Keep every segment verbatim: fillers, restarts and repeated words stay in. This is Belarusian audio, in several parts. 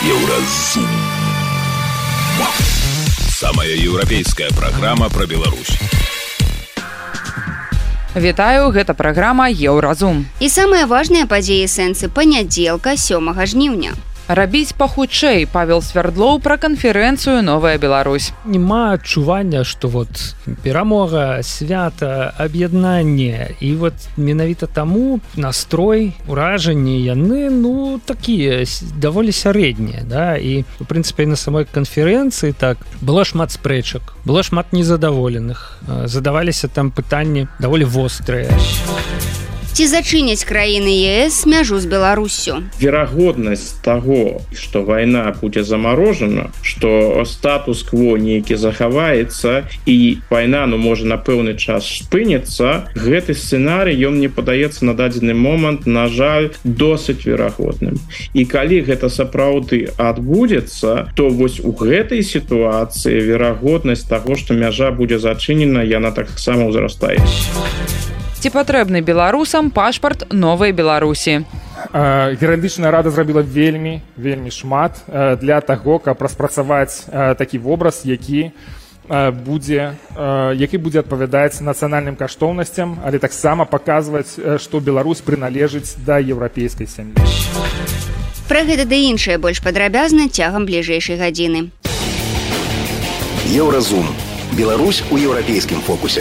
Еўразум. Самая еўрапейская праграма пра Беларусь. Вітаю, гэта праграма Еўразум. І самыя важныя падзеі сэнсы панядзелка сёмага жніўня. Рабіць пахутчэй. Павел Свердлоў пра канферэнцыю «Новая Беларусь». Нема адчування, што вот перамога, свята, аб'яднанне. І вот менавіта таму настрой, уражанні яны, ну, такія, даволі сярэднія, да? І, у прынцыпе, на самой канферэнцыі так было шмат спрэчак, было шмат незадаволеных. Задаваліся там пытанні даволі вострыя. Ці зачыняць краіны ЕС мяжу з Беларуссю? Верагоднасць таго, што вайна будзе замарожана, што статус-кво нейкі захаваецца і вайна, ну, можа, на пэўны час спыніцца, гэты сцэнарый, ён мне падаецца на дадзены момант, на жаль, досыць верагодным. І калі гэта сапраўды адбудзецца, то вось у гэтай сітуацыі верагоднасць таго, што мяжа будзе зачынена, яна таксама ўзрастае. Ці патрэбны беларусам пашпарт новай Беларусі? Юрыдычная рада зрабіла вельмі, вельмі шмат для таго, каб распрацаваць такі вобраз, які будзе, які будзе адпавядаць нацыянальным каштоўнасцям, але таксама паказваць, што Беларусь прыналежыць да еўрапейскай сям'і. Пра гэта ды іншае больш падрабязна цягам бліжэйшай гадзіны. Еўразум. Беларусь у еўрапейскім фокусе.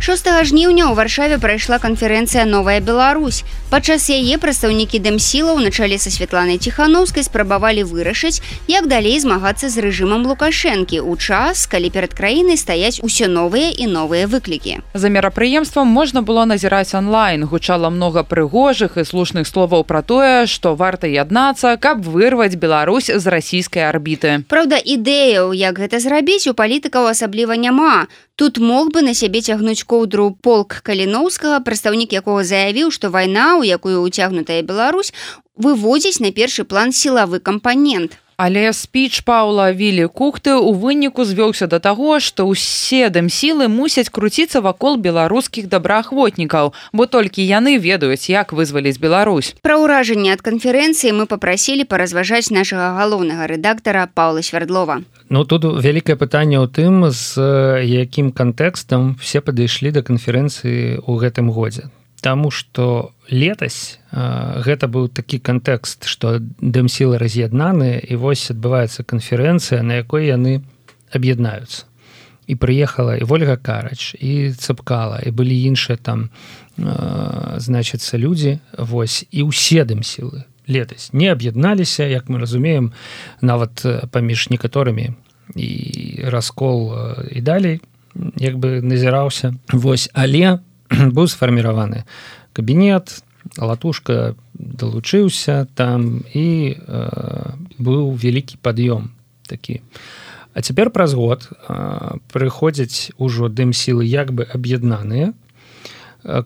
шостага жніўня ў Варшаве прайшла канферэнцыя «Новая Беларусь». Падчас яе прадстаўнікі дэмсілаў на чале са Святланай Ціханаўскай спрабавалі вырашыць, як далей змагацца з рэжымам Лукашэнкі ў час, калі перад краінай стаяць усё новыя і новыя выклікі. За мерапрыемствам можна было назіраць онлайн. Гучала многа прыгожых і слушных словаў пра тое, што варта яднацца, каб вырваць Беларусь з расійскай арбіты. Праўда, ідэяў, як гэта зрабіць, у палітыкаў асабліва няма. Тут мог бы на сябе цягнуць коўдру полк Каліноўскага, прадстаўнік якога заявіў, што вайна, у якую ўцягнутая Беларусь, выводзіць на першы план сілавы кампанент. Але спіч Паўла Вілі Кухты ў выніку звёўся да таго, што ўсе дэмсілы мусяць круціцца вакол беларускіх добраахвотнікаў, бо толькі яны ведаюць, як вызваліць Беларусь. Пра ўражанне ад канферэнцыі мы папрасілі паразважаць нашага галоўнага рэдактара Паўла Свердлова. Ну, тут вялікае пытанне ў тым, з якім кантэкстам все падышлі да канферэнцыі ў гэтым годзе. Таму што летась э, гэта быў такі кантэкст, што дэмсілы раз'яднаныя, і вось адбываецца канферэнцыя, на якой яны аб'яднаюцца. І прыехала і Вольга Карач, і Цэпкала, і былі іншыя там, э, значыцца, людзі, вось, і ўсе дэмсілы летась не аб'ядналіся, як мы разумеем, нават паміж некаторымі, і раскол і далей, як бы назіраўся. Вось, але быў сфарміраваны кабінет, Латушка далучыўся там, і э, быў вялікі пад'ём такі. А цяпер праз год э, прыходзяць ужо дэмсілы як бы аб'яднаныя,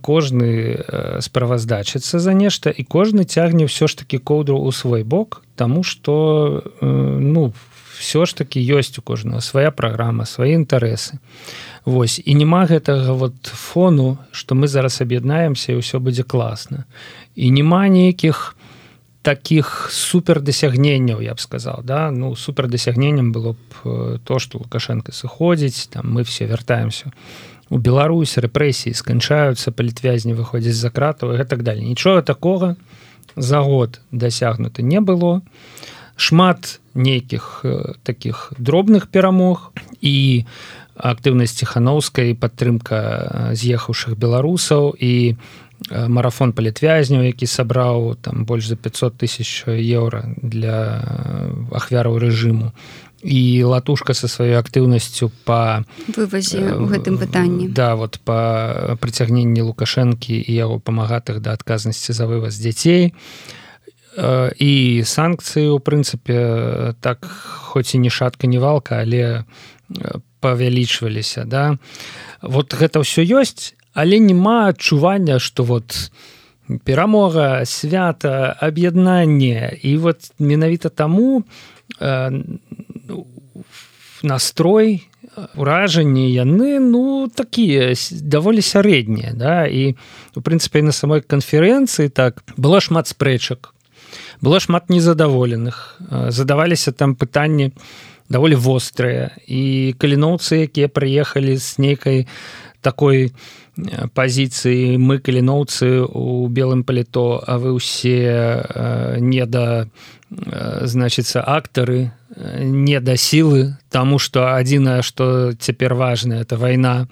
кожны э, справаздачыцца за нешта, і кожны цягне ўсё ж такі коўдру ў свой бок, таму што э, ну, ўсё ж такі ёсць у кожнага свая праграма, свае інтарэсы. Вось, і няма гэтага вот фону, што мы зараз аб'яднаемся і ўсё будзе класна. І няма нейкіх такіх супердасягненняў, я б сказаў, да? Ну, супердасягненнем было б то, што Лукашенко сыходзіць, там мы все вяртаемся у Беларусь, рэпрэсіі сканчаюцца, палітвязні выходзяць з-за кратаў і так далее. Нічога такога за год дасягнута не было. Шмат нейкіх такіх дробных перамог і актыўнасць Ціханаўскай, падтрымка з'ехаўшых беларусаў і марафон палітвязняў, які сабраў там больш за пятьсот тысяч еўра для ахвяраў рэжыму. І Латушка са сваёй актыўнасцю па вывазе ў гэтым пытанні. Да, вот па прыцягненні Лукашэнкі і яго памагатых да адказнасці за вываз дзяцей. І санкцыі, у прынцыпе, так, хоць і не шатка, не валка, але павялічваліся, да. Вот гэта ўсё ёсць, але няма адчування, што вот перамога, свята, аб'яднанне, і вот менавіта таму э, настрой, уражанні яны, ну, такія даволі сярэднія, да, і, у прынцыпе, на самой канферэнцыі так было шмат спрэчак. было шмат незадаволеных, задаваліся там пытанні даволі вострыя, і каліноўцы, якія прыехалі з нейкай такой пазіцыі, мы каліноўцы у белым паліто, а вы ўсе не да, значыцца, актары, не да сілы, таму што адзінае, што цяпер важнае, это вайна.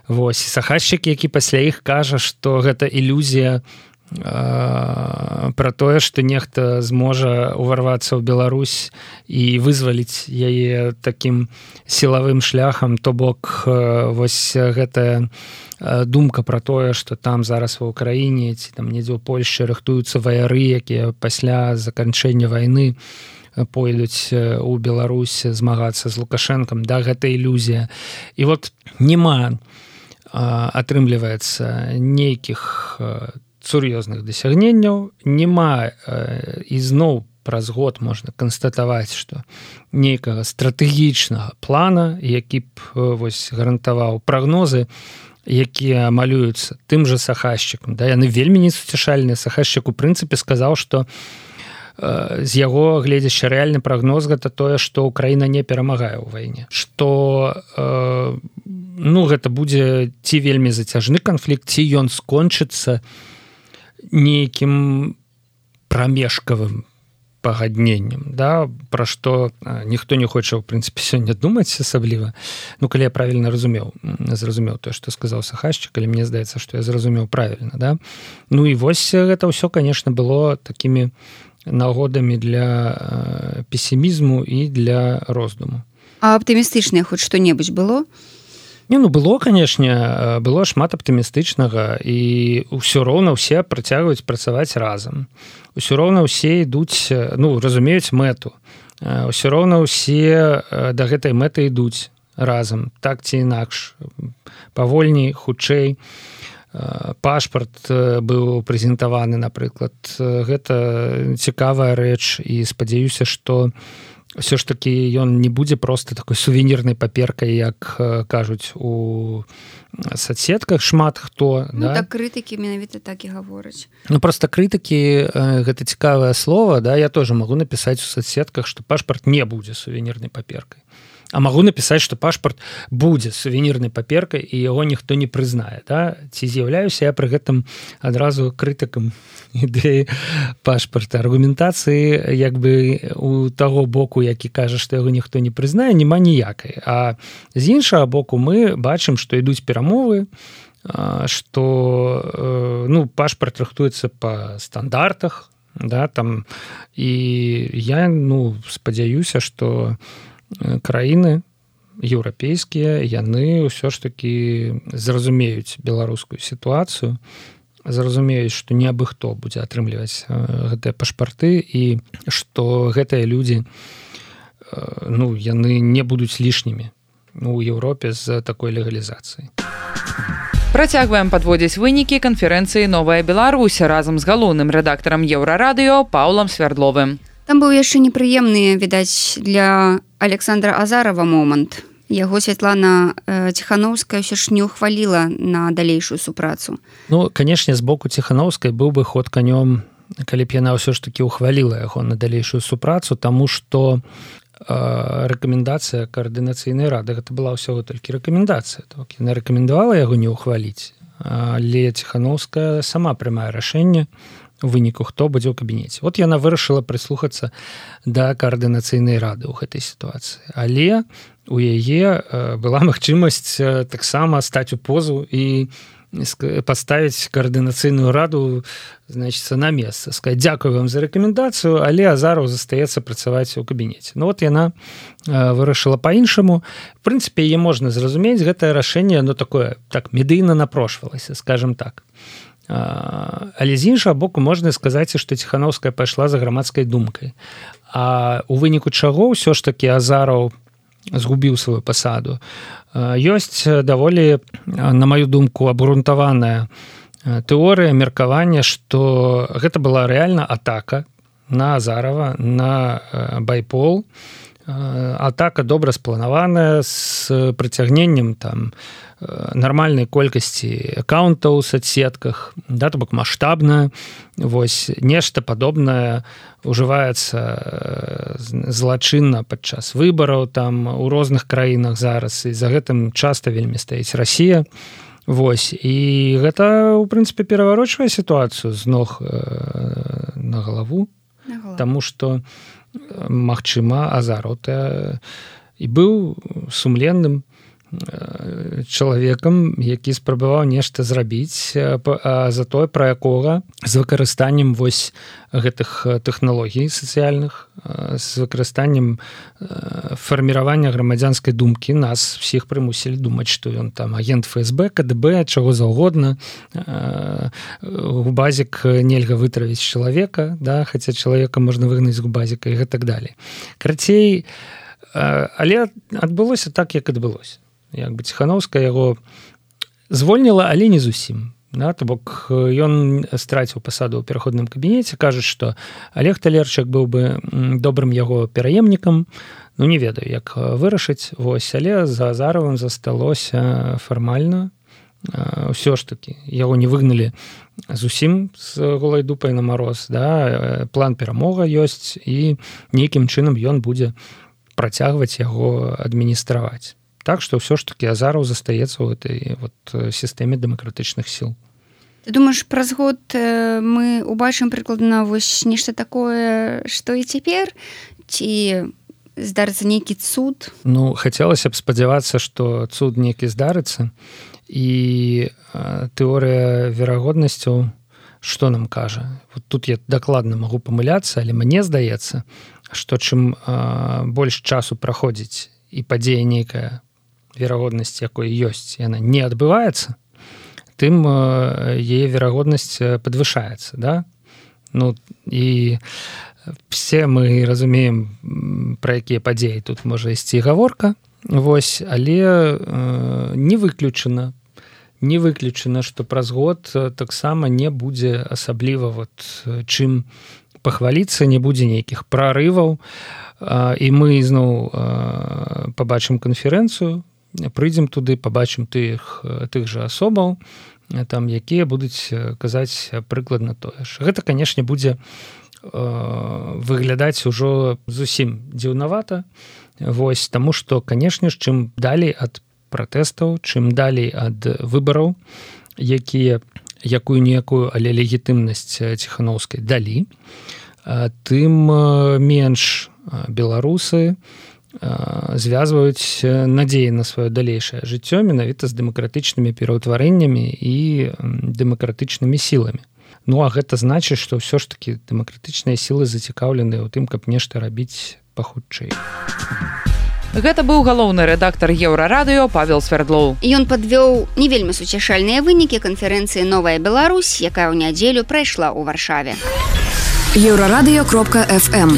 Вось, сахашчык, які пасля іх кажа, што гэта ілюзія пра тое, што нехта зможа ўварвацца ў Беларусь і вызваліць яе такім сілавым шляхам, то бок вось гэтая думка пра тое, што там зараз ва ўкраіне ці там недзе ў Польшчы рыхтуюцца ваяры, якія пасля заканчэння вайны пойдуць у Беларусь змагацца з Лукашэнкам, да, гэта ілюзія. І вот няма, атрымліваецца, нейкіх сур'ёзных дасягненняў, няма, і зноў праз год можна канстатаваць, што нейкага стратэгічнага плана, які б вось гарантаваў прагнозы, якія малююцца тым жа сахашчыкам. Да, яны вельмі несуцяшальныя. Сахашчык у прынцыпе сказаў, што з яго гледзяща рэальны прагноз гэта тое, што Украіна не перамагае ў вайне, што ну, гэта будзе ці вельмі зацяжны канфлікт, ці ён скончыцца нейкім прамежкавым пагадненнем, да, пра што ніхто не хоча, ў прынцыпе, сёння думаць асабліва. Ну, калі я правільна разумеў, зразумеў тое, што сказаў сахашчык, але мне здаецца, што я зразумеў правільна, да. Ну і вось гэта ўсё, канешне, было такімі нагодамі для песімізму і для роздуму. А аптымістычнае хоць што-небудзь было? Не, ну было, канешне, было шмат аптымістычнага, і ўсё роўна ўсе працягваюць працаваць разам. Усё роўна ўсе ідуць, ну, разумеюць мэту. Усё роўна ўсе да гэтай мэты ідуць разам, так ці інакш. Павольней, хутчэй. Пашпарт быў прэзентаваны, напрыклад. Гэта цікавая рэч, і спадзяюся, што ўсё ж такі ён не будзе проста такой сувенірнай паперкай, як кажуць у соцсетках шмат хто. Ну, да? Так крытыкі менавіта так і гавораць. Ну, проста крытыкі, гэта цікавае слово, да? Я тоже магу напісаць у соцсетках, што пашпарт не будзе сувенірнай паперкай. А магу напісаць, што пашпарт будзе сувенірнай паперкай, і яго ніхто не прызнае. Да? Ці з'яўляюся я пры гэтым адразу крытыкам ідэі пашпарта. Аргументацыі як бы у таго боку, які кажа, што яго ніхто не прызнае, няма ніякай. А з іншага боку мы бачым, што ідуць перамовы, што ну, пашпарт рыхтуецца па стандартах, да, там, і я ну, спадзяюся, што краіны еўрапейскія, яны ўсё ж такі зразумеюць беларускую сітуацыю, зразумеюць, што не абы хто будзе атрымліваць гэтыя пашпарты, і што гэтыя людзі ну, яны не будуць лішнімі у Еўропе з такой легалізацыяй. Працягваем падводзіць вынікі канферэнцыі «Новая Беларусь» разам з галоўным рэдактарам Еўрарадыё Паўлам Свярдловым. Там быў яшчэ непрыемны, відаць, для Александра Азарова момант. Яго Святлана э, Ціханаўская ўсё ж не ухваліла на далейшую супрацу. Ну, канешне, з боку Ціханаўскай быў бы ход канём, калі б яна ўсё ж такі ухваліла яго на далейшую супрацу, таму што э, рэкамендацыя каардынацыйнай рады, гэта была ўсяго толькі рэкамендацыя. Так, яна рэкамендавала яго не ухваліць, але Ціханаўская сама прымае рашэнне у выніку, хто будзе ў кабінеце. Вот яна вырашыла прыслухацца да каардынацыйнай рады ў гэтай сітуацыі. Але у яе была магчымасць таксама стаць у позу і паставіць каардынацыйную раду, значыцца, на месца. Сказаць, дзякую вам за рэкамендацыю, але Азаров застаецца працаваць у кабінеце. Ну вот яна вырашыла па-іншаму. В прынцыпе, яе можна зразумець, гэтае рашэнне, оно такое, так, медыйна напрошвалася, скажем так. Але з іншага боку можна сказаць, што Ціханаўская пайшла за грамадскай думкай. А у выніку чаго ўсё ж такі Азаров згубіў сваю пасаду. Ёсць даволі, на маю думку, абгрунтаваная тэорыя, меркавання, што гэта была рэальна атака на Азарова, на байпол, атака добра спланаваная з прыцягненнем там нармальнай колькасці аккаунтаў у соцсетках, да, то бок маштабная, вось нешта падобнае ужываецца злачынна падчас выбараў там у розных краінах зараз, і за гэтым часта вельмі стаіць Расія. Вось, і гэта у прынцыпе пераварочвае сітуацыю з ног на галаву, таму што магчыма Азараў і быў сумленным чалавекам, які спрабаваў нешта зрабіць, затое пра якога з выкарыстаннем вось гэтых тэхналогій сацыяльных, з выкарыстаннем фарміравання грамадзянскай думкі нас всіх прымусілі думаць, што ён там агент эф эс бэ, ка дэ бэ, чаго заўгодна, губазік нельга вытравіць чалавека, да, хаця чалавека можна выгнаць з губазіка і гэтак далей. Карацей, але адбылося так, як адбылося. Як бы Ціханаўская яго звольніла, але не зусім. Да, то бок ён страціў пасаду ў пераходным кабінеце, кажуць, што Олег Талерчык быў бы добрым яго пераемнікам, ну не ведаю, як вырашыць, вось, але за Азаровым засталося фармальна. Ўсё ж такі, яго не выгналі зусім з голай дупай на мароз, да, план перамога ёсць, і нейкім чынам ён будзе працягваць яго адміністраваць. Так што ўсё ж такі Азараў застаецца ў гэтай вот сістэме дэмакратычных сіл. Ты думаеш, праз год мы убачым прыкладна вось нешта такое, што і цяпер? Ці здарыцца нейкі цуд? Ну, хацелася б спадзявацца, што цуд нейкі здарыцца, і тэорыя верагоднасцяў што нам кажа? Вот тут я дакладна магу памыляцца, але мне здаецца, што чым больш часу праходзіць і падзея нейкая, верагоднасць якой ёсць, яна не адбываецца, тым яе верагоднасць падвышаецца, да? Ну, і все мы разумеем, пра якія падзеі тут можа ісці гаворка, вось, але не выключана, не выключана, што праз год таксама не будзе асабліва вот чым пахваліцца, не будзе нейкіх прарываў, і мы зноў пабачым канферэнцыю, прыйдзем туды, пабачым тых, тых жа асобаў, там, якія будуць казаць прыкладна тое ж. Гэта, канешне, будзе выглядаць ужо зусім дзіўнавата, вось, таму што, канешне ж, чым далей ад пратэстаў, чым далей ад выбараў, якія якую-ніякую, але легітымнасць Ціханаўскай далі, тым менш беларусы звязваюць надзеі на сваё далейшае жыццё менавіта з дэмакратычнымі пераўтварэннямі і дэмакратычнымі сіламі. Ну, а гэта значыць, што ўсё ж такі дэмакратычныя сілы зацікаўленыя ў тым, каб нешта рабіць пахутчэй. Гэта быў галоўны рэдактар Еўрарадыё Павел Свердлоў. Ён падвёў не вельмі суцяшальныя вынікі канферэнцыі «Новая Беларусь», якая ў нядзелю прайшла ў Варшаве. еўрарадыё кропка эф эм.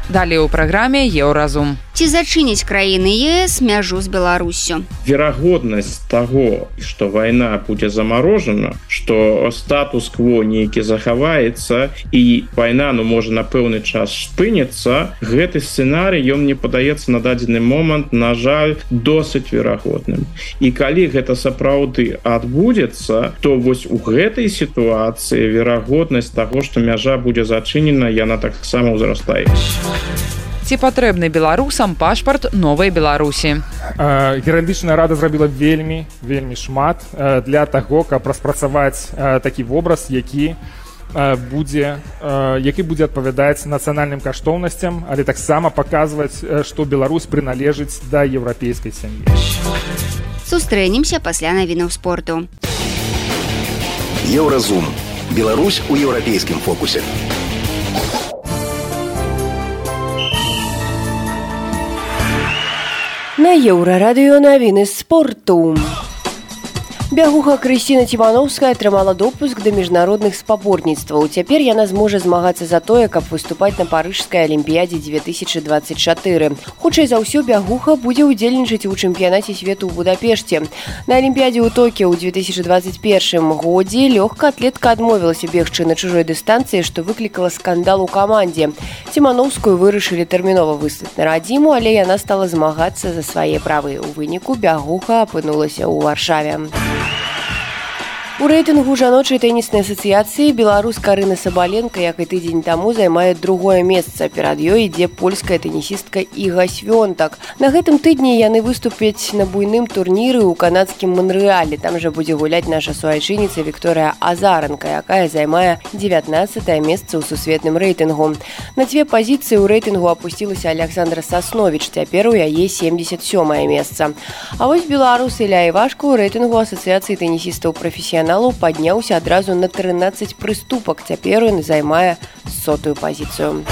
Далей у праграме Еўразум. Ці зачыніць краіны е эс мяжу з Беларуссю? Верагоднасць таго, што вайна будзе замарожана, што статус-кво нейкі захаваецца і вайна, ну, можа на пэўны час спыніцца, гэты сцэнарый, ён мне падаецца на дадзены момант, на жаль, досыць верагодным. І калі гэта сапраўды адбудзецца, то вось у гэтай сітуацыі верагоднасць таго, што мяжа будзе зачынена, яна таксама ўзрастае. Ці патрэбны беларусам пашпарт новай Беларусі? Гералагічная рада зрабіла вельмі, вельмі шмат для таго, каб распрацаваць такі вобраз, які будзе, які будзе адпавядаць нацыянальным каштоўнасцям, але таксама паказваць, што Беларусь прыналежыць да еўрапейскай сям'і. Сустрэнемся пасля навінаў спорту. Еўразум. Беларусь у еўрапейскім фокусе. На Еўрарадыё навіны спорту. Бягуха Крысціна Цімановская атрымала допуск да міжнародных спаборніцтваў. Цяпер яна зможа змагацца за тое, каб выступаць на парыжскай алімпіядзе две тысячи двадцать чатыры. Хутчэй за ўсё бягуха будзе ўдзельнічаць у чэмпіянаце свету ў Будапешце. На алімпіядзе ў Токіо ў две тысячи двадцать первым годзе лёгкаатлетка адмовілася бегчы на чужой дыстанцыі, што выклікала скандал у камандзе. Цімановскую вырашылі тэрмінова выслаць на радзіму, але яна стала змагацца за свае правы. У выніку бягуха апынулася ў Варшаве. У рэйтынгу жаночай тэніснай асацыяцыі беларуска Арына Сабаленка, як і тыдзень таму, займае другое месца. Перад ёй ідзе польская тэнісістка Іга Свёнтак. На гэтым тыдні яны выступяць на буйным турніры ў канадскім Монрэале. Там жа будзе гуляць наша суайчынніца Вікторыя Азаранка, якая займае дзевятнаццатае месца ў сусветным рэйтынгу. На дзве пазіцыі ў рэйтынгу апусцілася Александра Сасновіч, цяпер у яе семьдесят сёмае месца. А вось беларус Ілля Івашка ў рэйтынгу асацыяцыі тэнісістаў прафесіяналаў падняўся адразу на трынаццаць прыступак. Цяпер ён займае сотую пазіцыю.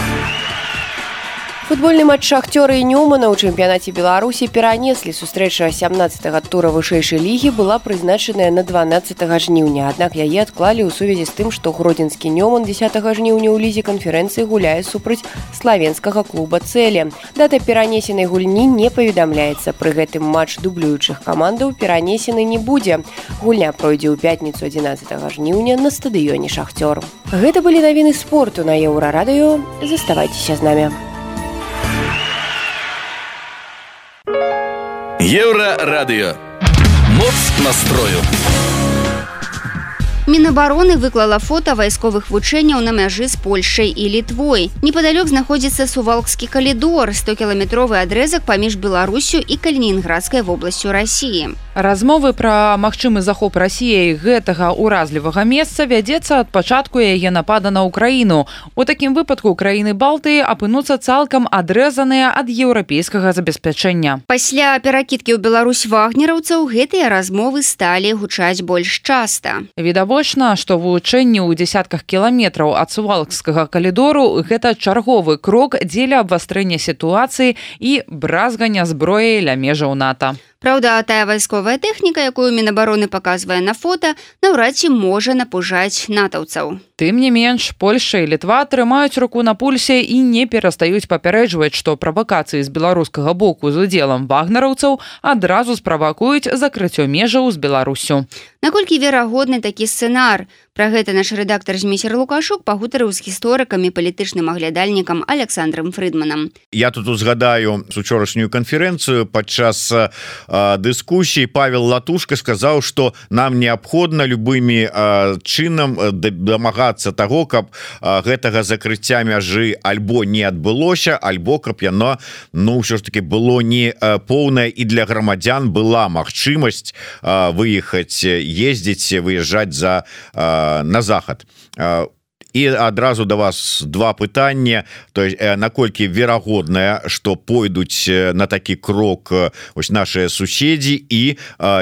Футбольны матч Шахтёра і Нёмана ў чэмпіянаце Беларусі перанеслі. Сустрэча сямнаццатага тура вышэйшай лігі была прызначаная на дванаццатага жніўня, аднак яе адклалі ў сувязі з тым, што гродзенскі Нёман дзесятага жніўня ў лізе канферэнцыі гуляе супраць славенскага клуба Цэле. Дата перанесенай гульні не паведамляецца. Пры гэтым матч дублюючых камандаў перанесены не будзе. Гульня пройдзе ў пятніцу адзінаццатага жніўня на стадыёне Шахтёр. Гэта былі навіны спорту на Еўрарадыё. Заставайцеся з намі. Еўрарадыё. Моц настрою. Мінабароны выклала фота вайсковых вучэнняў на мяжы з Польшай і Літвой. Непадалёк знаходзіцца Сувалкскі калідор, стокіламетровы адрэзак паміж Беларусю і Калінінградскай вобласцю Расіі. Размовы пра магчымы захоп Расіяй гэтага ўразлівага месца вядзецца ад пачатку яе напада на Украіну. У такім выпадку краіны Балтыі апынуцца цалкам адрэзаныя ад еўрапейскага забеспячэння. Пасля перакідкі ў Беларусь вагнераўцаў гэтыя размовы сталі гучаць больш часта. Відавочна, што вылучэнне ў дзесятках кіламетраў ад Сувалкскага калідору гэта чарговы крок дзеля абвастрэння сітуацыі і бразгання зброяй ля межаў НАТО. Праўда, тая вайсковая тэхніка, якую Мінабароны паказвае на фота, наўрад ці можа напужаць натаўцаў. Тым не менш, Польша і Літва трымаюць руку на пульсе і не перастаюць папярэджваць, што правакацыі з беларускага боку з удзелам вагнераўцаў адразу справакуюць закрыццё межаў з Беларусю. Наколькі верагодны такі сцэнар? Пра гэта наш рэдактар Зміцер Лукашук пагутарыў з гісторыкам і палітычным аглядальнікам Александром Фрыдманам. Я тут узгадаю учорашнюю канферэнцыю. Падчас э, дыскусіі Павел Латушка сказаў, што нам неабходна любымі э, чынам дамагацца таго, каб э, гэтага закрыцця мяжы альбо не адбылося, альбо каб яно, ну, ўсё ж таки было не э, поўнае і для грамадзян была магчымасць э, выехаць, ездзіць, выязджаць за э, на захад. І адразу да вас два пытання, то есть наколькі верагодная, што пойдуць на такі крок ось нашыя суседзі і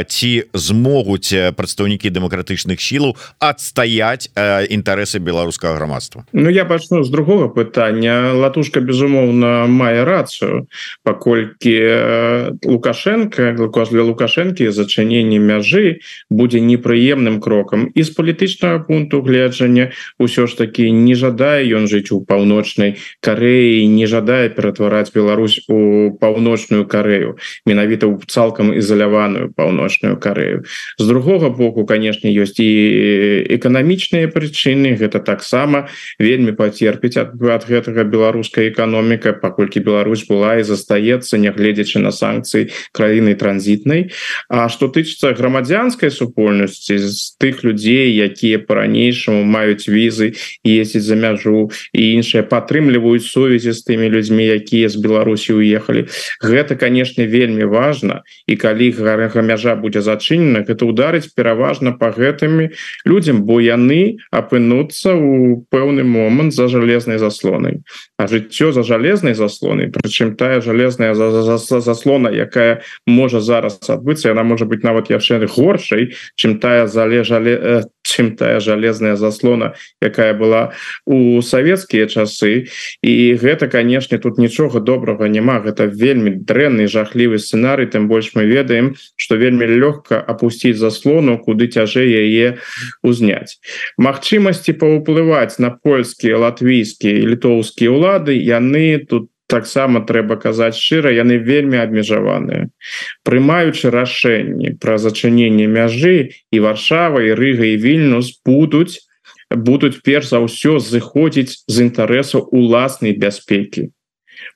ці змогуць прадстаўнікі дэмакратычных сілаў адстаяць інтарэсы беларускага грамадства. Ну я пачну з другога пытання. Латушка безумоўна мае рацыю, паколькі Лукашенко для Лукашэнкі зачыненне мяжы будзе непрыемным крокам і з палітычнага пункту гледжання ўсё ж таки не жадае ён жыць у паўночнай Карэі, не жадае ператвараць Беларусь у паўночную Карэю, менавіта ў цалкам ізаляваную паўночную Карэю. З другога боку, канешне, ёсць і эканамічныя прычыны, гэта таксама вельмі пацерпіць ад, ад гэтага беларуская эканоміка, паколькі Беларусь была і застаецца, нягледзячы на санкцыі, краіны транзітнай. А што тычыцца грамадзянскай супольнасці, з тых людзей, якія па-ранейшаму маюць візы ездзіць за мяжу і іншыя падтрымліваюць сувязі з тымі людзьмі, якія з Беларусі уехалі. Гэта, канешне, вельмі важна, і калі мяжа будзе зачынена, гэта ударыць пераважна па гэтымі людзям, бо яны апынуцца ў пэўны момант за жалезнай заслонай. А жыццё за жалезнай заслонай, прычым тая жалезная заслона, якая можа зараз адбыцца, яна можа быць нават яшчэ горшай, чым тая зале жале чым тая жалезная заслона, якая была у савецкія часы, і гэта, канешне, тут нічога добрага няма, гэта вельмі дрэнны жахлівы сцэнарый, тым больш мы ведаем, што вельмі лёгка апусціць заслону, куды цяжэй яе узняць. Магчымасці паўплываць на польскія, латвійскія і літоўскія ўлады, яны тут таксама трэба казаць шчыра, яны вельмі абмежаваныя. Прымаючы рашэнні пра зачыненне мяжы, і Варшава, і Рыга, і Вільнюс будуць, будуць перш за ўсё зыходзіць з інтарэсаў уласнай бяспекі.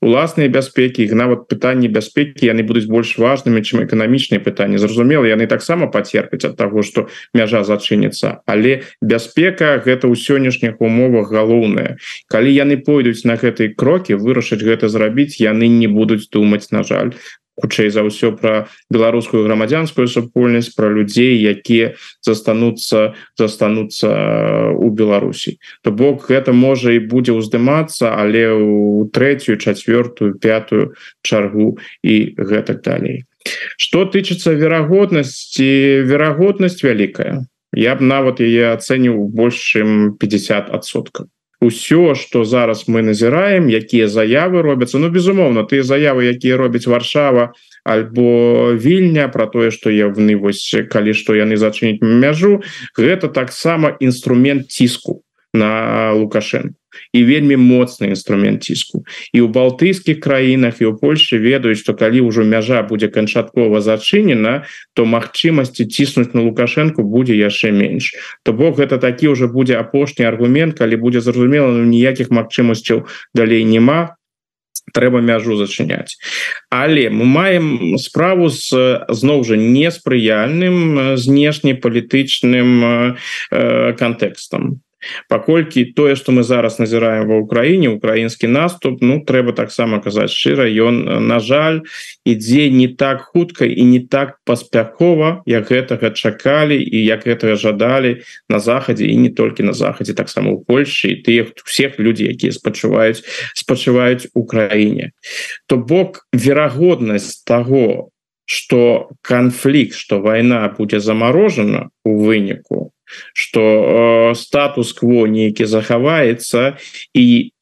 Уласныя бяспекі, іх нават пытанні бяспекі, яны будуць больш важнымі, чым эканамічныя пытанні. Зразумела, яны таксама пацерпяць ад таго, што мяжа зачыніцца, але бяспека гэта ў сённяшніх умовах галоўнае. Калі яны пойдуць на гэтыя крокі, вырашыць гэта зрабіць, яны не будуць думаць, на жаль, хутчэй за ўсё пра беларускую грамадзянскую супольнасць, пра людзей, якія застануцца застануцца ў Беларусі. То бок гэта можа і будзе ўздымацца, але ў трэцюю, чацвёртую, пятую чаргу і гэтак далей. Што тычыцца верагоднасці, верагоднасць вялікая. Я б нават яе ацэніў больш чым пятьдесят адсоткаў. Усё, што зараз мы назіраем, якія заявы робяцца, ну, безумоўна, тыя заявы, якія робяць Варшава альбо Вільня пра тое, што яны, вось, калі што яны зачыняць мяжу, гэта таксама інструмент ціску на Лукашенко. І вельмі моцны інструмент ціску. І ў балтыйскіх краінах, і ў Польшчы ведаюць, што калі ўжо мяжа будзе канчаткова зачынена, то магчымасці ціснуць на Лукашенко будзе яшчэ менш. То бок гэта такі ўжо будзе апошні аргумент, калі будзе зразумела, ну, ніякіх магчымасцяў далей няма, трэба мяжу зачыняць. Але мы маем справу з, зноў жа, неспрыяльным знешнепалітычным э, кантэкстам. Паколькі тое, што мы зараз назіраем ва ўкраіне, украінскі наступ, ну, трэба таксама казаць шчыра, ён, на жаль, ідзе не так хутка і не так паспяхова, як гэтага чакалі і як гэтага жадалі на захадзе, і не толькі на захадзе, таксама ў Польшчы, і тых всех людзей, якія спачуваюць, спачуваюць у краіне. То бок верагоднасць таго, што канфлікт, што вайна будзе замарожана у выніку, што э, статус-кво нейкі захаваецца, і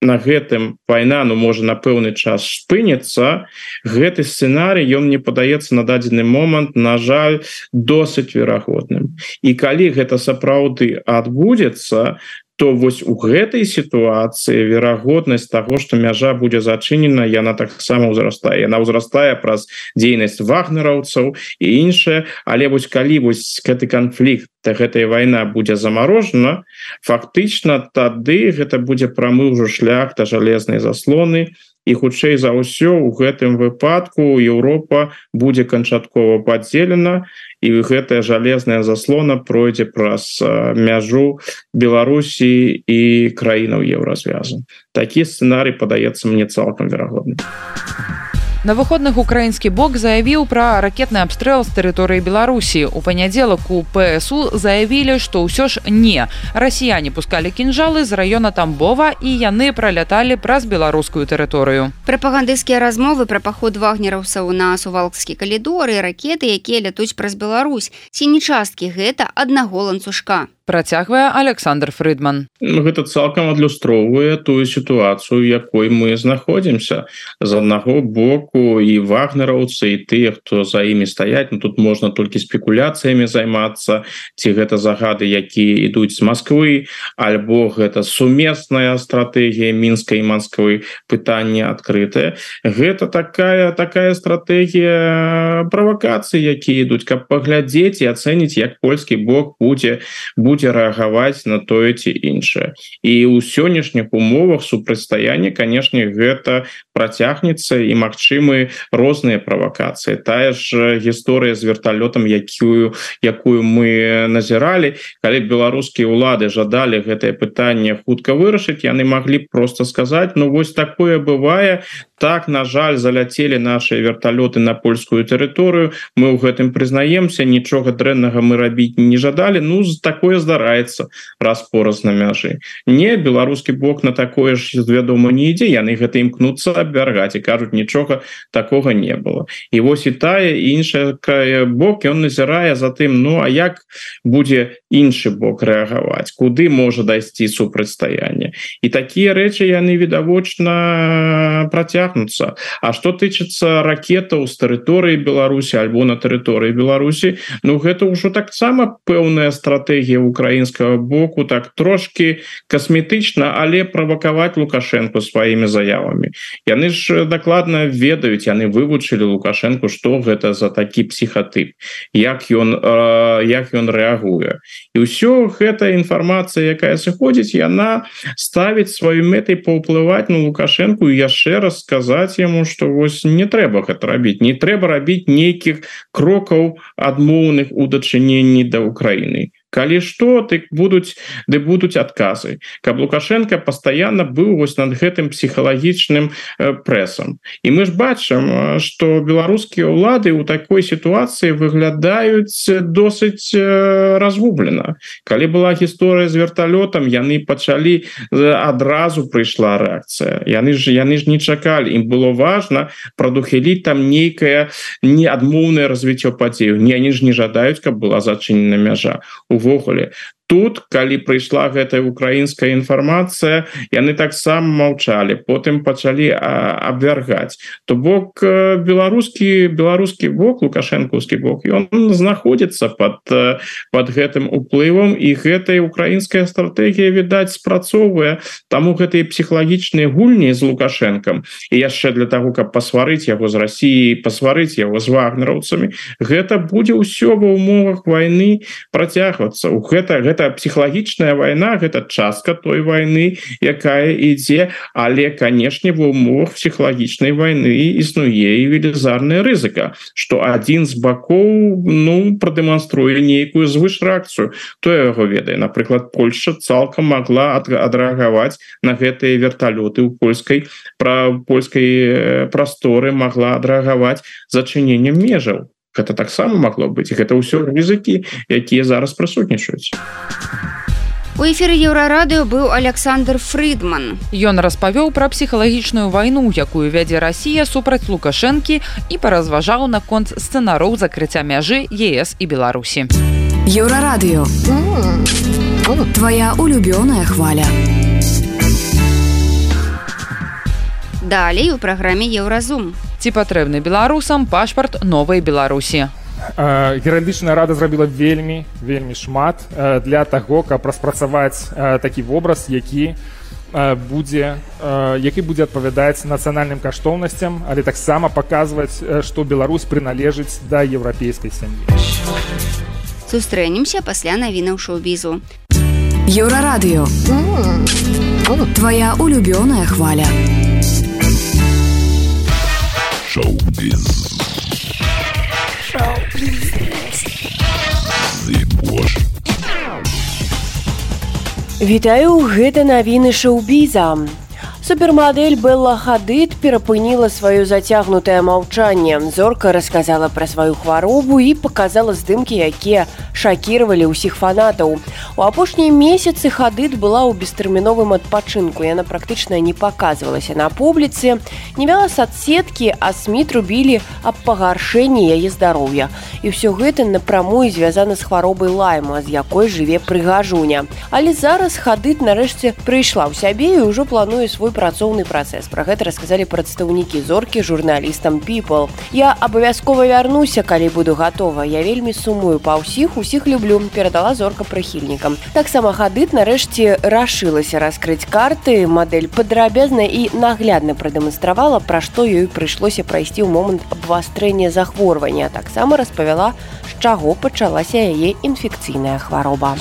на гэтым вайна, ну, можа, на пэўны час спыніцца, гэты сцэнарый, ён мне падаецца на дадзены момант, на жаль, досыць верагодным. І калі гэта сапраўды адбудзецца, то вось у гэтай сітуацыі верагоднасць таго, што мяжа будзе зачынена, яна таксама ўзрастае. Яна ўзрастае праз дзейнасць вагнераўцаў і іншае, але вось калі вось гэты канфлікт, гэтая вайна будзе замарожана, фактычна тады гэта будзе прамы ўжо шлях да жалезнай заслоны, і хутчэй за ўсё у гэтым выпадку Еўропа будзе канчаткова падзелена, і гэтая жалезная заслона пройдзе праз мяжу Беларусі і краінаў Еўразвязу. Такі сцэнарый падаецца мне цалкам верагодным. На выходных украінскі бок заявіў пра ракетны абстрэл з тэрыторыі Беларусі. У панядзелак у ПСУ заявілі, што ўсё ж не. Расіяне пускалі кінжалы з раёна Тамбова, і яны праляталі праз беларускую тэрыторыю. Прапагандысцкія размовы пра паход вагнераўцаў на Сувалкскі калідор і ракеты, якія лятуць праз Беларусь. Ці не часткі гэта аднаго ланцужка? Працягвае Александр Фрыдман. Гэта цалкам адлюстроўвае тую сітуацыю, якой мы знаходзімся. З аднаго боку і вагнераўцы, і тыя, хто за імі стаяць, ну, тут можна толькі спекуляцыямі займацца, ці гэта загады, якія ідуць з Масквы, альбо гэта сумесная стратэгія Мінска і Масквы, пытанне адкрытае. Гэта такая, такая стратэгія правакацыі, якія ідуць, каб паглядзець і ацэніць, як польскі бок будзе будзе будзе рэагаваць на тое ці іншае. І ў сённяшніх умовах супрацьстаяння, канешне, гэта працягнецца і магчымы розныя правакацыі. Тая ж гісторыя з верталётам, якую, якую мы назіралі, калі беларускія ўлады жадалі гэтае пытанне хутка вырашыць, яны маглі проста сказаць, ну вось такое бывае, так, на жаль, заляцелі нашыя верталёты на польскую тэрыторыю, мы ў гэтым прызнаемся, нічога дрэннага мы рабіць не жадалі, ну, такое здараецца раз-пораз на мяжы. Не, беларускі бок на такое ж, вядома, не ідзе, яны гэта імкнуцца абвяргаць і кажуць, нічога такога не было. І вось і тая, і іншая бок, ён назірае за тым, ну, а як будзе іншы бок рэагаваць, куды можа дайсці супрацьстаянне. І такія рэчы яны відавочна працягнуцца. А што тычыцца ракетаў з тэрыторыі Беларусі альбо на тэрыторыі Беларусі, ну гэта ўжо таксама пэўная стратэгія украінскага боку, так трошки касметычна, але правакаваць Лукашенко сваімі заявамі. Яны ж дакладна ведаюць, яны вывучылі Лукашенко, што гэта за такі псіхатып, як ён, э, як ён рэагуе. І ўсё гэта інфармацыя, якая сыходзіць, яна ставіць сваёй мэтай паўплываць на Лукашенко і яшчэ раз сказаць яму, што вось не трэба гэта рабіць, не трэба рабіць нейкіх крокаў адмоўных у дачыненні да Украіны. Калі што, дык будуць, ды будуць адказы. Каб Лукашенко пастаянна быў вось над гэтым псіхалагічным э, прэсам. І мы ж бачым, што беларускія ўлады ў такой сітуацыі выглядаюць досыць э, разгублена. Калі была гісторыя з верталётам, яны пачалі, адразу прыйшла рэакцыя. Яны ж, яны ж не чакалі. Ім было важна прадухіліць там нейкае неадмоўнае развіццё падзею. Яны ж не жадаюць, каб была зачынена мяжа. Увогуле. Тут, калі прыйшла гэтая украінская інфармацыя, яны таксама маўчалі, потым пачалі абвяргаць. То бок беларускі, беларускі бок, лукашэнкаўскі бок, ён знаходзіцца пад, пад гэтым уплывам, і гэтая украінская стратэгія, відаць, спрацоўвае. Таму гэтыя псіхалагічныя гульні з Лукашэнкам, і яшчэ для таго, каб пасварыць яго з Расіяй, пасварыць яго з вагнераўцамі, гэта будзе ўсё ва ўмовах вайны працягвацца. Гэта, гэта псіхалагічная вайна, гэта частка той вайны, якая ідзе, але, канешне, ва ўмовах псіхалагічнай вайны існуе і велізарная рызыка, што адзін з бакоў, ну, прадэманструе нейкую звышрэакцыю. Хто яго ведае? Напрыклад, Польшча цалкам магла адрэагаваць на гэтыя верталёты ў польскай, пра польскай прасторы, магла адрэагаваць зачыненнем межаў. Гэта таксама магло быць. Гэта ўсё рызыкі, якія зараз прысутнічаюць. У эфіры Еўрарадыё быў Александр Фрыдман. Ён распавёў пра псіхалагічную вайну, якую вядзе Расія супраць Лукашэнкі, і паразважаў наконт сцэнароў закрыцця мяжы ЕС і Беларусі. Еўрарадыё. Твая улюбёная хваля. Далей у праграме Еўразум. Ці патрэбны беларусам пашпарт новай Беларусі? Геральдычная рада зрабіла вельмі, вельмі шмат для таго, каб распрацаваць такі вобраз, які будзе, які будзе адпавядаць нацыянальным каштоўнасцям, але таксама паказваць, што Беларусь прыналежыць да еўрапейскай сям'і. Сустрэнемся пасля навінаў шоу-бізу. Еўрарадыё. Твая улюбёная хваля. Шоу-біз. Вітаю, гэта навіны шоу-біза. Супермадэль Белла Хадид перапыніла сваё зацягнутае маўчанне. Зорка расказала пра сваю хваробу і паказала здымкі, якія шакіравалі ўсіх фанатаў. У апошнія месяцы Хадид была ў бестэрміновым адпачынку. Яна практычна не паказвалася на публіцы, не вяла соцсеткі, а СМІ трубілі аб пагаршэнні яе здароўя. І ўсё гэта напрамую звязана з хваробай Лайма, з якой жыве прыгажуня. Але зараз Хадид нарэшце прыйшла ў сябе і ўжо плануе свой працоўны працэс. Пра гэта расказалі прадстаўнікі зоркі журналістам People. Я абавязкова вярнуся, калі буду гатова. Я вельмі сумую па ўсіх, усіх люблю, перадала зорка прыхільнікам. Таксама Хадид нарэшце рашылася раскрыць карты. Мадэль падрабязна і наглядна прадэманстравала, пра што ёй прыйшлося прайсці ў момант абвастрэння захворвання. Таксама распавяла, з чаго пачалася яе інфекцыйная хвароба.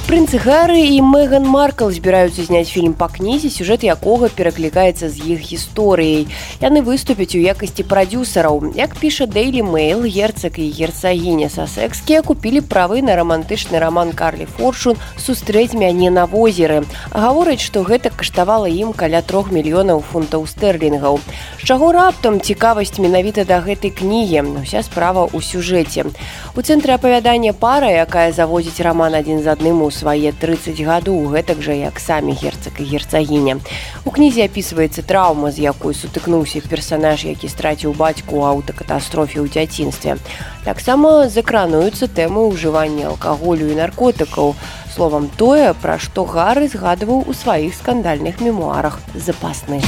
Прынц Гаррі і Меган Маркл збіраюцца зняць фільм па кнізе, сюжэт якога пераклікаецца з іх гісторыяй. Яны выступяць у якасці прадзюсараў. Як піша Daily Mail, герцаг і герцагіня Сасекскія купілі правы на рамантычны раман Карлі Форчун «Сустрэць мяне на возеры». Гавораць, што гэта каштавала ім каля трох мільёнаў фунтаў стэрлінгаў. З чаго раптам цікавасць менавіта да гэтай кнігі? Уся справа ў сюжэце. У цэнтры апавядання пара, якая завозіць раман адзін з адным у свае трыццаць гадоў, гэтак жа як самі герцаг і герцагіня. У кнізе апісваецца траўма, з якой сутыкнуўся персанаж, які страціў бацьку ў аўтакатастрофе ў дзяцінстве. Таксама закрануюцца тэмы ўжывання алкаголю і наркотыкаў. Словам, тое, пра што Гары згадваў у сваіх скандальных мемуарах «Запасны».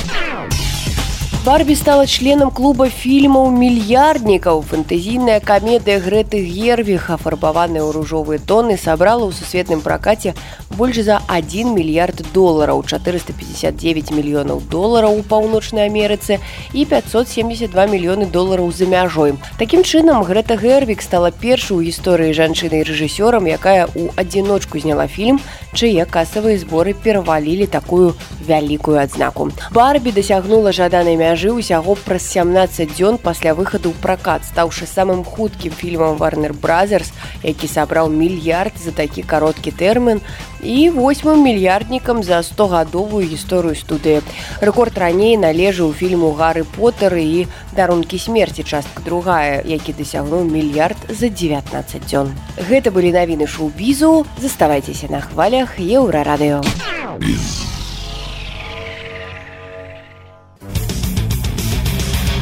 Барби стала членам клуба фільмаў «Мільярднікаў». Фэнтэзійная камедыя Грэты Гервіг, афарбаваная ў ружовыя тоны, сабрала ў сусветным пракаце больш за адзін мільярд долараў, чатырыста пятьдесят девять мільёнаў долараў у Паўночнай Амерыцы і пятьсот семьдесят два мільёны долараў за мяжой. Такім чынам, Грэта Гервіг стала першай у гісторыі жанчынай-рэжысёрам, якая ў адзіночку зняла фільм, чые касавыя зборы перавалілі такую вялікую адзнаку. Барби дасягнула жаданай мяжы ўсяго праз сямнаццаць дзён пасля выхаду ў пракат, стаўшы самым хуткім фільмам Warner Brothers, які сабраў мільярд за такі кароткі тэрмін, і восьмым мільярднікам за стогадовую гісторыю студыі. Рэкорд раней належаў фільму «Гары Поттер» і «Дарункі смерці», частка другая, які дасягнуў мільярд за дзевятнаццаць дзён. Гэта былі навіны шоу-бізу. Заставайцеся на хвалях Еўрарадыё.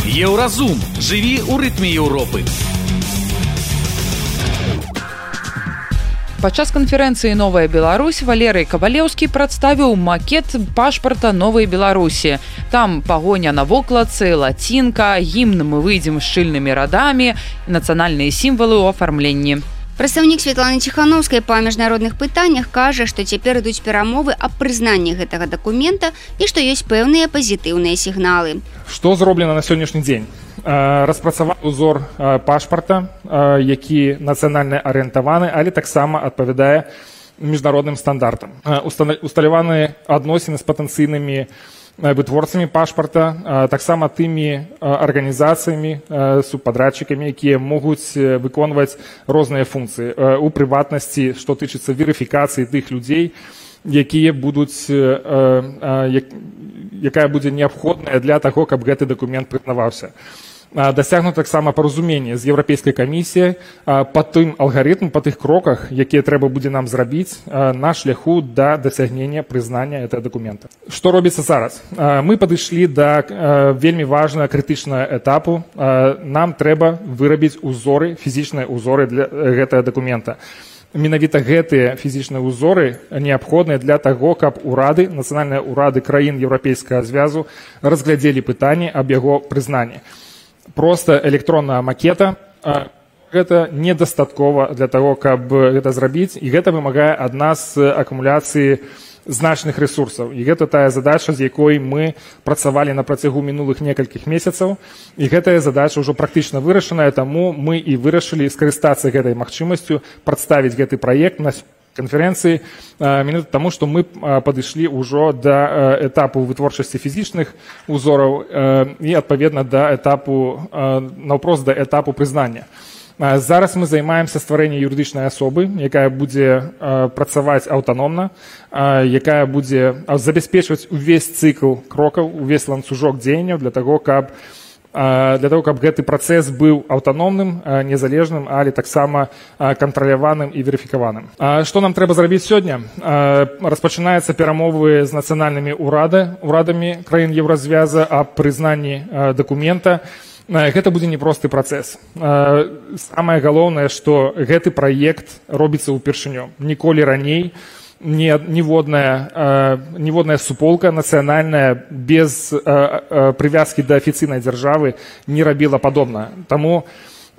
Еўразум. Жыві ў рытме Еўропы. Падчас канферэнцыі «Новая Беларусь» Валерый Кавалеўскі прадставіў макет пашпарта Новай Беларусі. Там пагоня на вокладцы, лацінка, гімн «Мы выйдзем шчыльнымі радамі», нацыянальныя сімвалы ў афармленні. Прадстаўнік Светланы Ціханаўскай па міжнародных пытаннях кажа, што цяпер ідуць перамовы аб прызнанні гэтага дакумента і што ёсць пэўныя пазітыўныя сігналы. Што зроблена на сённяшні дзень? Распрацаваны узор пашпарта, які нацыянальна арыентаваны, але таксама адпавядае міжнародным стандартам. Усталяваны адносіны з патэнцыйнымі вытворцамі пашпарта, таксама тымі арганізацыямі, субпадрядчыкамі, якія могуць выконваць розныя функцыі. У прыватнасці, што тычыцца верыфікацыі тых людзей, якія будуць, якая будзе неабходная для таго, каб гэты дакумент прызнаваўся. Дасягнута таксама паразуменне з Еўрапейскай камісіяй па тым алгарытм, па тых кроках, якія трэба будзе нам зрабіць на шляху да дасягнення прызнання гэтага дакумента. Што робіцца зараз? Мы падышлі да вельмі важнага крытычнага этапу. Нам трэба вырабіць узоры, фізічныя узоры для гэтага дакумента. Менавіта гэтыя фізічныя ўзоры неабходныя для таго, каб урады, нацыянальныя ўрады краін Еўрапейскага звязу разглядзелі пытанне аб яго прызнанні. Проста электронная макета гэта недастаткова для таго, каб гэта зрабіць, і гэта вымагае ад нас акумуляцыі значных ресурсаў. І гэта тая задача, з якой мы працавалі на працягу мінулых некалькіх месяцаў, і гэтая задача ўжо практычна вырашаная, таму мы і вырашылі скарыстацца гэтай магчымасцю прадставіць гэты праект на канферэнцыі, менавіта таму, што мы падышлі ўжо да этапу вытворчасці фізічных узораў і, адпаведна, да этапу, наўпрост да этапу прызнання. Зараз мы займаемся стварэннем юрыдычнай асобы, якая будзе працаваць аўтаномна, якая будзе забяспечваць увесь цыкл крокаў, увесь ланцужок дзеянняў для таго, каб для того, каб гэты працэс быў аўтаномным, незалежным, але таксама кантраляваным і верыфікаваным. Што нам трэба зрабіць сёння? Распачынаюцца перамовы з нацыянальнымі урадамі краін Еўразвяза аб прызнанні дакумента. Гэта будзе непросты працэс. Самае галоўнае, што гэты праект робіцца ўпершыню. Ніколі раней ніводная, ніводная суполка нацыянальная без прывязкі да афіцыйнай дзяржавы не рабіла падобна. Таму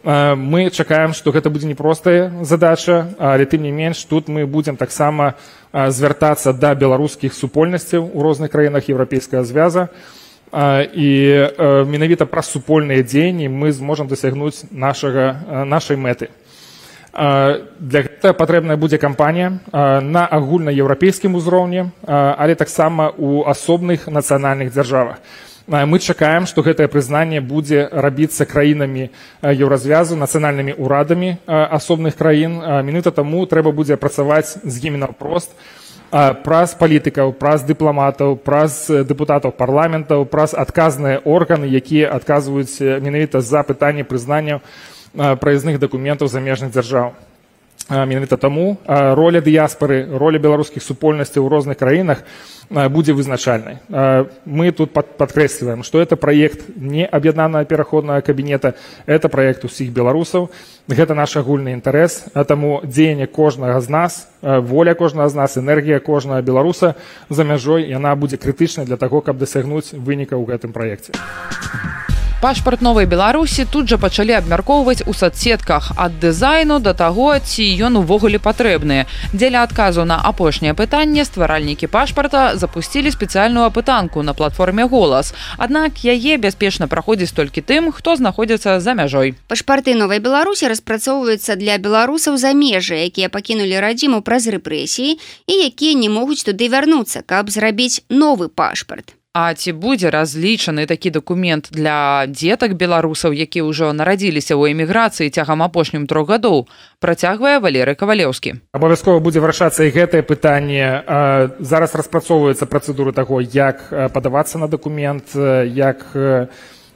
мы чакаем, што гэта будзе непростая задача, але тым не менш тут мы будзем таксама звяртацца да беларускіх супольнасцяў у розных краінах Еўрапейскага звяза, і менавіта праз супольныя дзеянні мы зможам дасягнуць нашага, нашай мэты. Для гэтага патрэбная будзе кампанія на агульнаеўрапейскім узроўні, але таксама ў асобных нацыянальных дзяржавах. Мы чакаем, што гэтае прызнанне будзе рабіцца краінамі Еўразвязу, нацыянальнымі ўрадамі асобных краін. Менавіта таму трэба будзе працаваць з імі наўпрост праз палітыкаў, праз дыпламатаў, праз дэпутатаў парламентаў, праз адказныя органы, якія адказваюць менавіта за пытанне прызнання праязных дакументаў замежных дзяржаў. Менавіта таму роля дыяспары, роля беларускіх супольнасцяў у розных краінах будзе вызначальнай. Мы тут падкрэсліваем, што это праект не аб'яднанага пераходнага кабінета, это праект усіх беларусаў. Гэта наш агульны інтарэс, а таму дзеянне кожнага з нас, воля кожнага з нас, энергія кожнага беларуса за мяжой, яна будзе крытычнай для таго, каб дасягнуць выніка ў гэтым праекце. Пашпарт новай Беларусі тут жа пачалі абмяркоўваць у соцсетках ад дызайну да таго, ці ён увогуле патрэбны. Дзеля адказу на апошняе пытанне стваральнікі пашпарта запусцілі спецыяльную апытанку на платформе «Голас». Аднак яе бяспечна праходзіць толькі тым, хто знаходзіцца за мяжой. Пашпарты новай Беларусі распрацоўваюцца для беларусаў за межы, якія пакінулі радзіму праз рэпрэсіі і якія не могуць туды вярнуцца, каб зрабіць новы пашпарт. А ці будзе разлічаны такі дакумент для дзетак беларусаў, якія ўжо нарадзіліся ў эміграцыі цягам апошнім трох гадоў, працягвае Валерый Кавалеўскі. Абавязкова будзе вырашацца і гэтае пытанне. Зараз распрацоўваюцца працэдуры таго, як падавацца на дакумент, як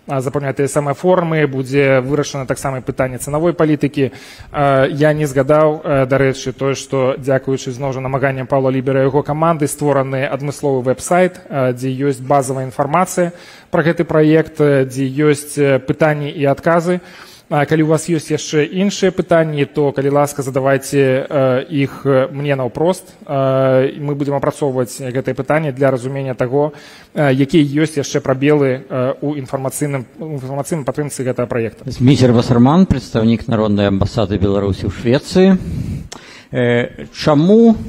запаўняць тыя самыя формы, будзе вырашана таксама пытанне цанавой палітыкі. Я не згадаў, дарэчы, тое, што дзякуючы зноў жа намаганням Паўла Лібера і яго каманды створаны адмысловы вэб-сайт, дзе ёсць базавая інфармацыя пра гэты праект, дзе ёсць пытанні і адказы. Калі у вас ёсць яшчэ іншыя пытанні, то, калі ласка, задавайце іх мне наўпрост. Мы будзем апрацоўваць гэтае пытанне для разумення таго, якія ёсць яшчэ прабелы ў інфармацыйным падтрымцы гэтага праекта. Зміцер Васарман, прадстаўнік Народнай амбасады Беларусі ў Швецыі. Чаму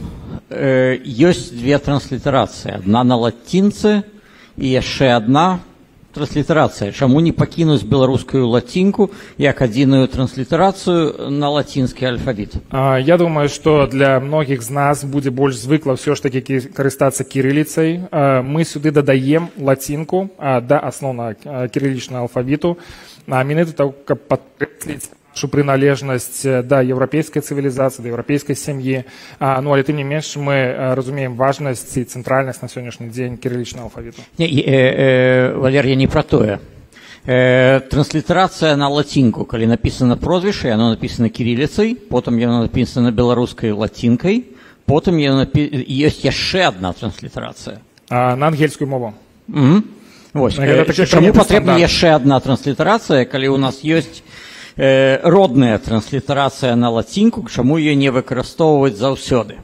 ёсць две транслітарацыі? Адна на лацінцы і яшчэ адна транслітарацыя. Чаму не пакінуць беларускую лацінку як адзіную транслітарацыю на лацінскі алфавіт? Я думаю, што для многіх з нас будзе больш звыкла ўсё ж такі карыстацца кірыліцай. Мы сюды дадаем лацінку да асноўнага кірылічнага алфавіту. Менавіта каб падкрэсліць нашу прыналежнасць да еўрапейскай цывілізацыі, да еўрапейскай сям'і. Ну, але тым не менш мы разумеем важнасць і цэнтральнасць на сённяшні дзень кірылічнага алфавіту. Не, э, э, Валер, я не пра тое. Э, транслітарацыя на лацінку, калі напісана прозвішча, яно напісана кірыліцай, потым яно напісана беларускай лацінкай, потым яно напі... ёсць яшчэ адна транслітарацыя. А, на ангельскую мову. Mm-hmm. Вось. Э, чаму патрэбна яшчэ адна транслітарацыя, калі у нас ёсць родная транслітарацыя на лацінку, чаму яе не выкарыстоўваць заўсёды?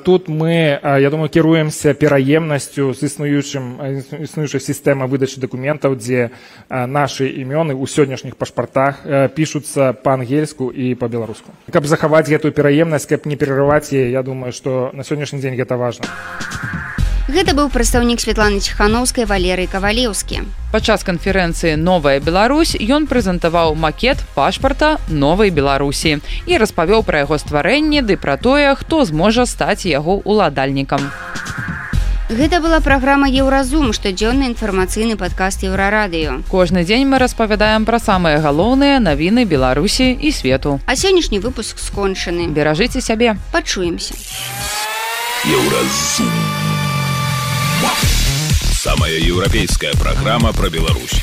Тут мы, я думаю, кіруемся пераемнасцю з існуючай сістэмай выдачы дакументаў, дзе нашы імёны ў сённяшніх пашпартах пішуцца па-ангельску і па-беларуску. Каб захаваць гэтую пераемнасць, каб не перарываць яе, я думаю, што на сённяшні дзень гэта важна. Гэта быў прадстаўнік Святланы Ціханаўскай Валерый Кавалеўскі. Падчас канферэнцыі «Новая Беларусь» ён прэзентаваў макет пашпарта новай Беларусі і распавёў пра яго стварэнне ды пра тое, хто зможа стаць яго ўладальнікам. Гэта была праграма «Еўразум», штодзённы інфармацыйны падкаст Еўрарадыё. Кожны дзень мы распавядаем пра самыя галоўныя навіны Беларусі і свету. А сённяшні выпуск скончаны. Беражыце сябе. Пачуемся. Еўразум. Самая европейская программа про Беларусь.